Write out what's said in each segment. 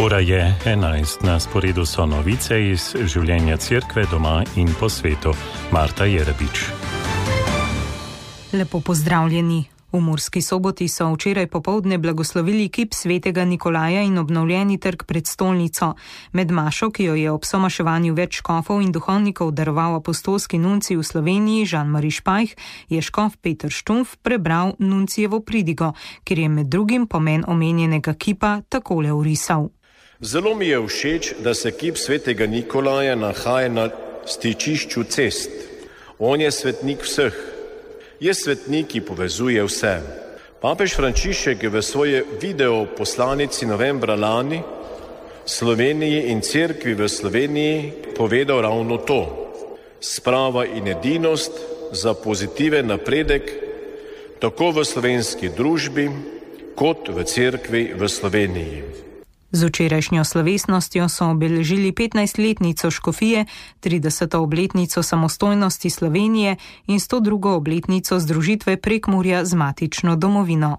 Ura je 11, na sporedu so novice iz življenja cerkve doma in po svetu. Marta Jerebič. Lepo pozdravljeni. V Murski Soboti so včeraj popoldne blagoslovili kip svetega Nikolaja in obnovljeni trg pred stolnico. Med mašo, ki jo je ob somaševanju več škofov in duhovnikov daroval apostolski nuncij v Sloveniji Jean-Marie Špajh, je škof Peter Štumf prebral nuncijevo pridigo, kjer je med drugim pomen omenjenega kipa takole orisal. Zelo mi je všeč, da se kip svetega Nikolaja nahaja na stičišču cest. On je svetnik vseh. Je svetnik, ki povezuje vse. Papež Frančišek je v svoje video poslanici novembra lani Sloveniji in cerkvi v Sloveniji povedal ravno to. Sprava in edinost za pozitiven napredek tako v slovenski družbi kot v cerkvi v Sloveniji. Z včerajšnjo slovesnostjo so obeležili 15-letnico škofije, 30. obletnico samostojnosti Slovenije in 102. obletnico združitve Prekmurja z matično domovino.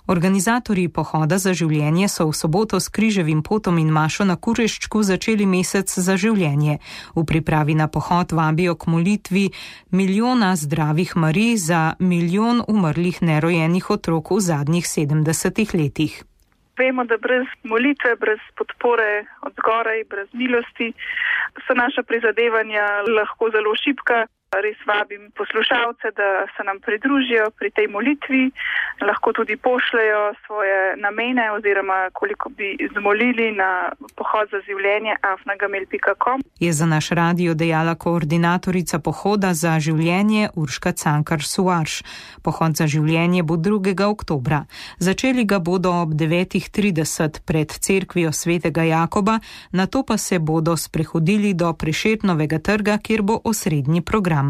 Organizatorji pohoda za življenje so v soboto s križevim potom in mašo na Kureščku začeli mesec za življenje. V pripravi na pohod vabijo k molitvi milijona zdravih Marij za milijon umrlih nerojenih otrok v zadnjih 70 letih. Vemo, da brez molitve, brez podpore od zgoraj, brez milosti so naša prizadevanja lahko zelo šibka. Res vabim poslušalce, da se nam pridružijo pri tej molitvi, lahko tudi pošljajo svoje namene oziroma koliko bi zmolili na pohod za življenje @gmail.com. Je za naš radio dejala koordinatorica pohoda za življenje Urška Cankar-Suarš. Pohod za življenje bo 2. oktobra. Začeli ga bodo ob 9:30 pred cerkvijo svetega Jakoba, nato pa se bodo sprehodili do Prešernovega trga, kjer bo osrednji program.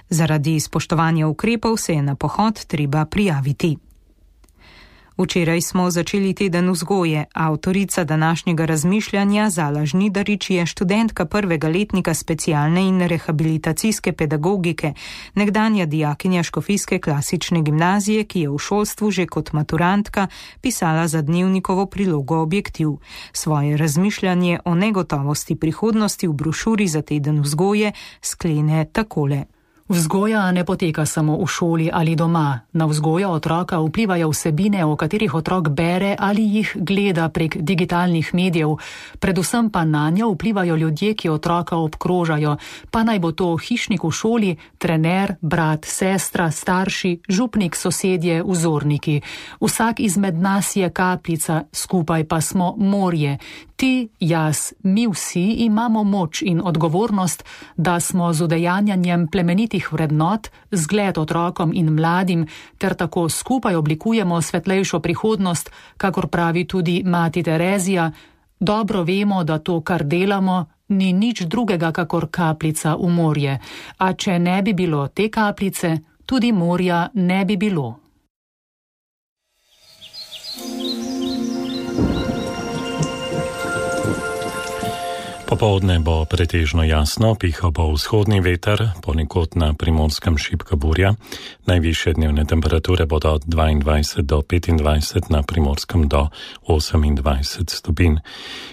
Zaradi spoštovanja ukrepov se je na pohod treba prijaviti. Včeraj smo začeli teden vzgoje. Avtorica današnjega razmišljanja Zala Žnidarič je študentka 1. letnika specialne in rehabilitacijske pedagogike, nekdanja dijakinja škofijske klasične gimnazije, ki je v šolstvu že kot maturantka pisala za dnevnikovo prilogo Objektiv. Svoje razmišljanje o negotovosti prihodnosti v brošuri za teden vzgoje sklene takole. Vzgoja ne poteka samo v šoli ali doma. Na vzgojo otroka vplivajo vsebine, o katerih otrok bere ali jih gleda prek digitalnih medijev. Predvsem pa nanjo vplivajo ljudje, ki otroka obkrožajo, pa naj bo to hišnik v šoli, trener, brat, sestra, starši, župnik, sosedje, vzorniki. Vsak izmed nas je kapljica, skupaj pa smo morje. Ti, jaz, mi vsi imamo moč in odgovornost, da smo z udejanjanjem plemenitih vrednot zgled otrokom in mladim, ter tako skupaj oblikujemo svetlejšo prihodnost, kakor pravi tudi mati Terezija. Dobro vemo, da to, kar delamo, ni nič drugega kakor kapljica v morje. A če ne bi bilo te kapljice, tudi morja ne bi bilo. Popoldne bo pretežno jasno, pihal bo vzhodni veter, ponekod na Primorskem šibka burja. Najvišje dnevne temperature bodo od 22 do 25, na Primorskem do 28 stopinj.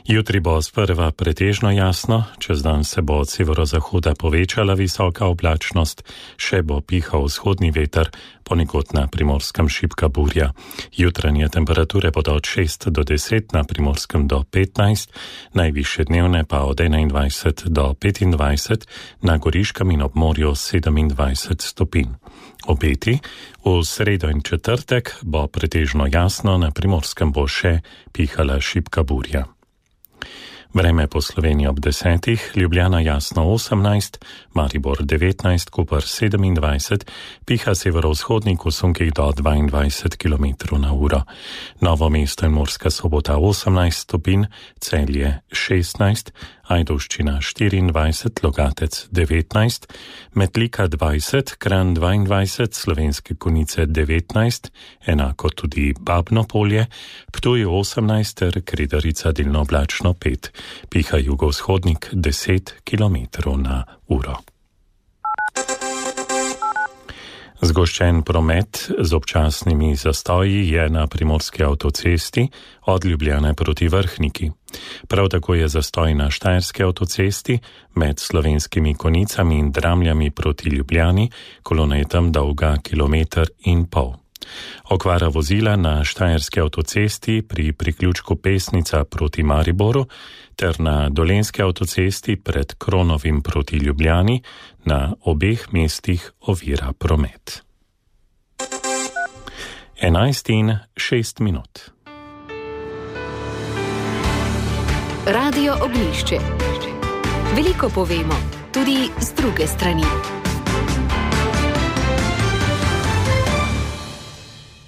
Jutri bo sprva pretežno jasno, čez dan se bo od severozahoda povečala visoka oblačnost, še bo pihal vzhodni veter, ponekod na Primorskem šibka burja. Jutranje temperature bodo od 6 do 10, na Primorskem do 15, najvišje dnevne pa od 21 do 25, na Goriškem in ob morju 27 stopinj. Obeti: v sredo in četrtek bo pretežno jasno, na Primorskem bo še pihala šibka burja. Vreme po Sloveniji ob 10, Ljubljana jasno 18, Maribor 19, Koper 27, piha severovzhodnik v sunkih do 22 km/h. Novo mesto in Murska Sobota 18 stopinj, Celje 16, Ajdovščina 24, Logatec 19, Metlika 20, Kranj 22, Slovenske Konjice 19, enako tudi Babno Polje, Ptuj 18 ter Kredarica delno oblačno 5. Piha jugovzhodnik 10 km/h. Zgoščen promet z občasnimi zastoji je na primorski avtocesti od Ljubljane proti Vrhniki. Prav tako je zastoj na štajerski avtocesti med Slovenskimi Konicami in Dramljami proti Ljubljani, kolona je tam dolga 1,5 km. Okvara vozila na štajerski avtocesti pri priključku Pesnica proti Mariboru ter na dolenski avtocesti pred Kronovim proti Ljubljani na obeh mestih ovira promet. 11:06. Radio Ognjišče. Veliko povemo, tudi z druge strani.